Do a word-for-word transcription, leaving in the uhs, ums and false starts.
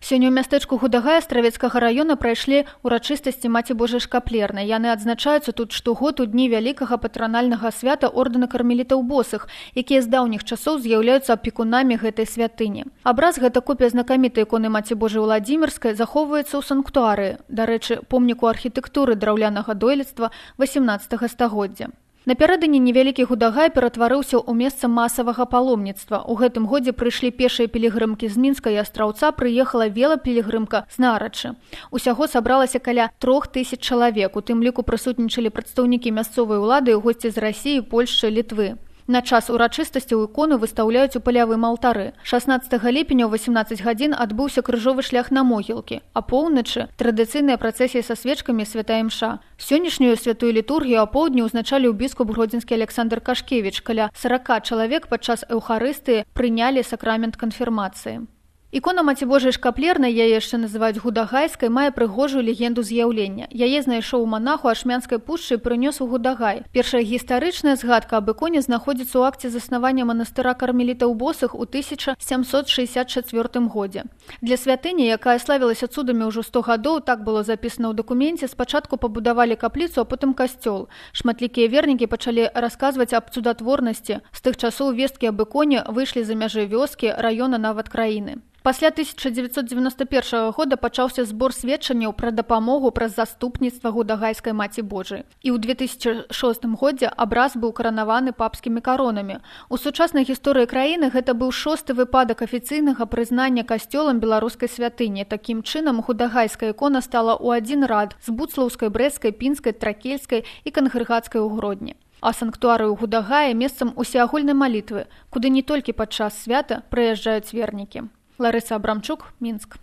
Сёння ў мястэчку Гудагай Астравецкага раёна прайшлі урачыстасці Маці Божай Шкаплернай. Яны адзначаюцца тут штогод у дні вялікага патранальнага свята ордэна кармелітаў босых, якія з даўніх часоў з'яўляюцца апекунамі гэтай святыні. Абраз, гэта копія знакамітай іконы Маці Божай Уладзімірскай, захоўваецца ў санктуарыі, дарэчы, помніку архітэктуры драўлянага дойлідства васямнаццатага стагоддзя. Напярэдадні невялікі Гудагай ператварыўся ў месца масавага паломніцтва. У гэтым годзе прыйшлі пешыя пілігрымкі з Мінска і Астраўца, прыехала велапілігрымка з Нарачы. Усяго сабралася каля трох тысяч чалавек, у тым ліку прысутнічалі прадстаўнікі мясцовай улады і госці з Расіі, Польшчы, Літвы. На час урачыстасцяў ікону выстаўляюць у палявым алтары. шаснаццатага ліпеня ў васямнаццаць гадзін адбыўся крыжовы шлях на могілкі, а поўначы традыцыйная працэсія са свечкамі святая імша. Сённяшнюю святую літургію апоўдні ўзначаліў біскуп гродзенскі Александр Кашкевіч. Каля сарака чалавек падчас эўхарыстыі прынялі сакрамент канфірмацыі. Ікона Маці Божай Шкаплернай, яе яшчэ называюць Гудагайскай, мае прыгожую легенду з'яўлення. Яе знайшоў манах у Ашмянскай пушчы і прынёс у Гудагай. Першая гістарычная згадка аб іконе знаходзіцца ў акце заснавання манастыра кармелітаў босых у тысяча сямсот шэсцьдзесят чацвёртым годзе. Для святыні, якая славілася цудамі ўжо сто гадоў, так было запісана ў дакуменце, спачатку пабудавалі капліцу, а потым касцёл. Шматлікія вернікі пачалі расказваць аб цудатворнасці. З тых часоў весткі аб іконе выйшлі за мяжы вёскі, раёна, нават краіны. Пасля тысяча дзевяцьсот дзевяноста першага года пачаўся збор сведчанняў пра дапамогу праз заступніцтва Гудагайскай Маці Божай. І ў две тысячы шостым годзе абраз быў каранаваны папскімі каронамі. У сучаснай гісторыі краіны гэта быў шосты выпадак афіцыйнага прызнання касцёлам беларускай святыні. Такім чынам, Гудагайская ікона стала ў адзін рад з буцлаўскай, брэсцкай, пінскай, тракельскай і кангрэгацкай у Гродні. А санктуары ў Гудагаі месцам усеагульнай малітвы, куды не толькі падчас свята прыязджаюць вернікі. Ларыса Абрамчук, Мінск.